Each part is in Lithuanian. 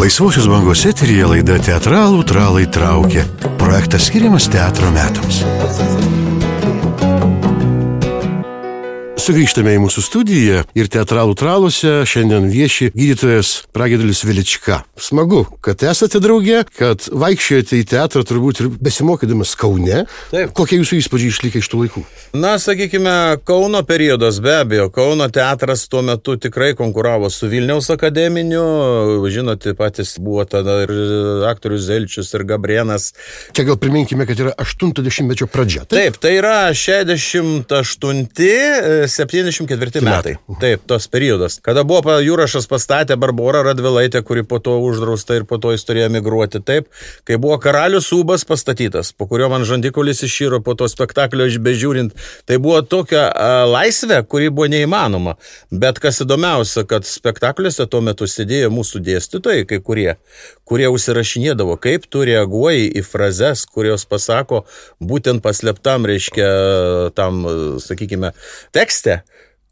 Laisvosios bangos eteryje laida Teatralų tralai traukia. Projektas skiriamas teatro metams. Sugrįžtame į mūsų studiją ir Teatralų traluose šiandien vieši gydytojas Pragiedėlis Velička. Smagu, kad esate drauge, kad vaikščiojate į teatrą turbūt ir besimokydamas Kaune. Taip. Kokie jūsų įspūdžiai išlikę iš tų laikų? Na, sakykime, Kauno periodas be abejo. Kauno teatras tuo metu tikrai konkuravo su Vilniaus akademiniu. Žinote, patys buvo tada ir aktorius Zelčius ir Gabrienas. Čia gal priminkime, kad yra 80-mečio pradžia. Taip, tai yra 68-74 metai. Taip, tos periodas. Kada buvo Jurašas pastatė Barborą Radvilaitę, kuri po to uždrausta ir po to jis turėjo migruoti. Taip, kai buvo Karalius Ūbas pastatytas, po kurio man žandikaulis iširo po to spektaklio bežiūrint, tai buvo tokia laisvė, kuri buvo neįmanoma. Bet kas įdomiausia, kad spektakliuose tuo metu sėdėjo mūsų dėstytojai, kai kurie užsirašinėdavo, kaip tu reaguoji į frazes, kurios pasako būtent paslėptam, reiškia, tam, sakykime, tekste,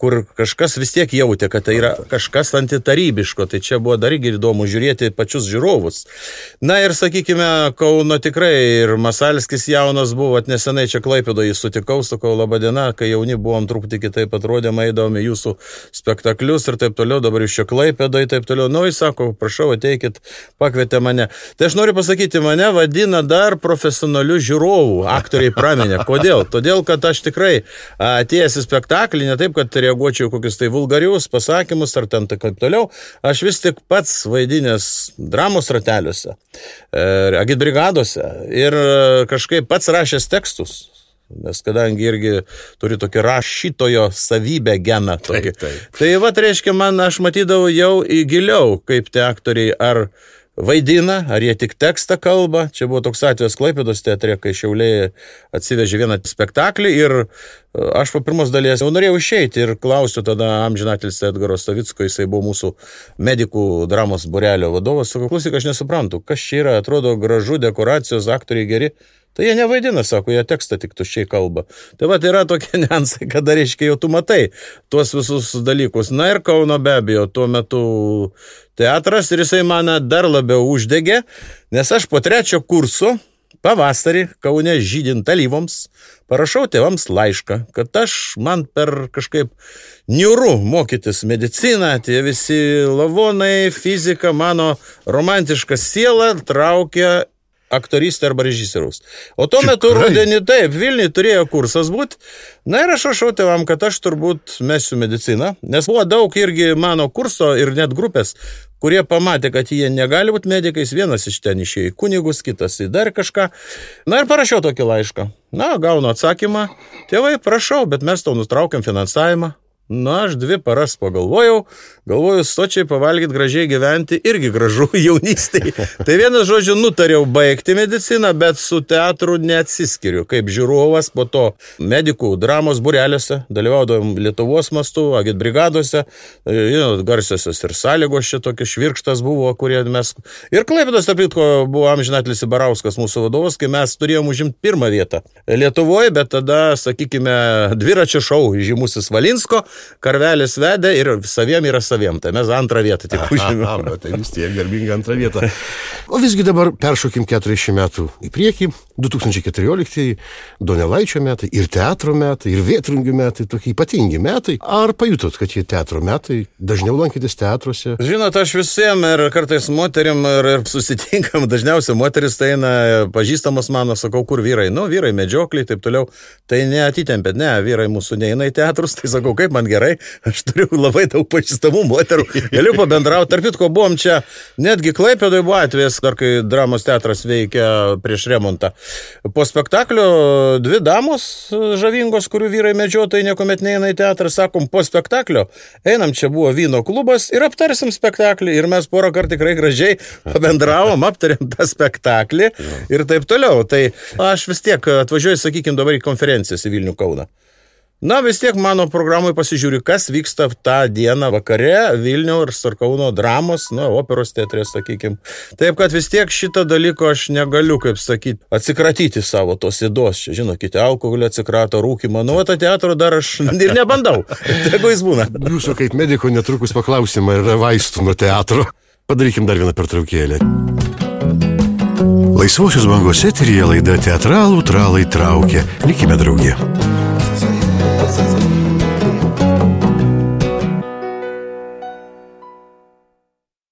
kur kažkas vis tiek jautė, kad tai yra kažkas antitarybiško, tai čia buvo dar įdomu žiūrėti pačius žiūrovus. Na ir, sakykime, Kauno tikrai ir Masalskis jaunas buvo, nesenai čia Klaipėdoje jį sutikau, sakau, laba diena, kai jauni buvom truputį kitaip atrodėm, eidavome jūsų spektaklius ir taip toliau, dabar jūs čia Klaipėdoje, taip toliau. Nu, jis sako, prašau, ateikit, pakvietė mane. Tai aš noriu pasakyti, mane vadina dar profesionalių žiūrovų, aktoriai praminė. Kodėl? Todėl, kad aš tikrai atėjęs į spektaklį, ne taip, kad reaguočiau kokius tai vulgarius pasakymus ar ten taip toliau, aš vis tik pats vaidinęs dramos rateliuose, agitbrigadose ir kažkaip pats rašęs tekstus, nes kadangi irgi turi tokį rašytojo savybę geną. Taip. Tai vat reiškia, aš matydavau jau giliau, kaip tie aktoriai ar vaidina, ar jie tik tekstą kalba. Čia buvo toks atvejis Klaipėdos teatre, kai Šiauliai atsivežė vieną spektaklį ir aš po pirmos dalies jau norėjau išeiti ir klausiu tada amžinatilsį Edgaro Savicko, jisai buvo mūsų medikų dramos būrelio vadovas, sakau, klausyk, aš nesuprantu, kas čia yra, atrodo gražu, dekoracijos, aktoriai geri. Tai jie nevaidina, sako, jie tekstą tik tuščiai kalba. Tai va, tai yra tokie niuansai, kada reiškia jau tu matai tuos visus dalykus. Na ir Kauno be abejo, tuo metu teatras ir jisai mane dar labiau uždegė, nes aš po 3 kurso pavasarį Kaune žydint alyvoms parašau tėvams laišką, kad man per kažkaip niūru mokytis mediciną, tie visi lavonai, fizika, mano romantiška siela traukia aktorystė arba režisieriaus. O tuo metu rudenį taip, Vilniui turėjo kursas būti. Na ir aš rašau tėvam, kad aš turbūt mesiu mediciną, nes buvo daug irgi mano kurso ir net grupės, kurie pamatė, kad jie negali būti medikais, vienas iš ten išėjo į kunigus, kitas į dar kažką. Na ir parašiau tokį laišką. Na, gaunu atsakymą, tėvai, prašau, bet mes tau nutraukiam finansavimą. Na, aš 2 paras pagalvojau, sočiai pavalgyti, gražiai gyventi, irgi gražu jaunystėje. Tai vienas žodžiu, nutariau baigti mediciną, bet su teatru neatsiskiriu. Kaip žiūrovas po to medikų dramos būreliuose, dalyvaudavom Lietuvos mastu, agitbrigadose, garsiosios ir sąlygos čia tokie švirkštas buvo, kurie mes... Ir Klaipėdos, tarp kitko, buvo amžinatilsį Barauskas mūsų vadovas, kai mes turėjom užimti 1 vietą Lietuvoje, bet tada, sakykime, dviračio šou žymusis Valinsko, Karvelis vedė ir saviem yra saviem. Tai mes 2 vietą tik užėmėme. Tai vis tiek garbinga 2 vieta. O visgi dabar peršokim 40 metų į priekį. 2014 Donelaičio metai, ir teatro metai, ir Vėtrungių metai, tokie ypatingi metai. Ar pajutot, kad jie teatro metai, dažniau lankytis teatruose? Žinot, aš visiem ir kartais moterim ir susitinkam, dažniausiai moteris tai eina pažįstamas mano, sakau, kur vyrai? Nu, vyrai medžiokliai, taip toliau. Tai neatitempėt, ne, vyrai mūsų neina į teatrus, tai sakau, kaip man gerai, aš turiu labai daug pažįstamų moterų, galiu pabendrauti. Tarp kitko, buvom čia, netgi Klaipėdoje buvo atvejis, dar kai dramos teatras veikia prieš remontą. Po spektaklio 2 damos žavingos, kurių vyrai medžiotojai niekuomet neina į teatrą, sakom, po spektaklio einam, čia buvo vyno klubas ir aptarsim spektaklį. Ir mes porą kartų tikrai gražiai pabendravom, aptarėm tą spektaklį ir taip toliau. Tai aš vis tiek atvažiuoju, sakykime, dabar į konferencijas į Vilnių Kauną. Na, vis tiek mano programai pasižiūriu, kas vyksta tą dieną vakare Vilniaus ir Sarkauno dramos, operos teatre, sakykime. Taip, kad vis tiek šitą dalyko aš negaliu, kaip sakyti, atsikratyti savo tos įdos. Čia, žinot, kiti alkoholį atsikrato, rūkimą. Nu, tą teatrą dar aš ir nebandau. Tegu jis būna. Jūsų kaip mediko netrukus paklausimą, yra vaistų nuo teatro. Padarykim dar vieną pertraukėlę. Laisvosios bangos eteryje laida Teatralų tralai traukia. Likime drauge.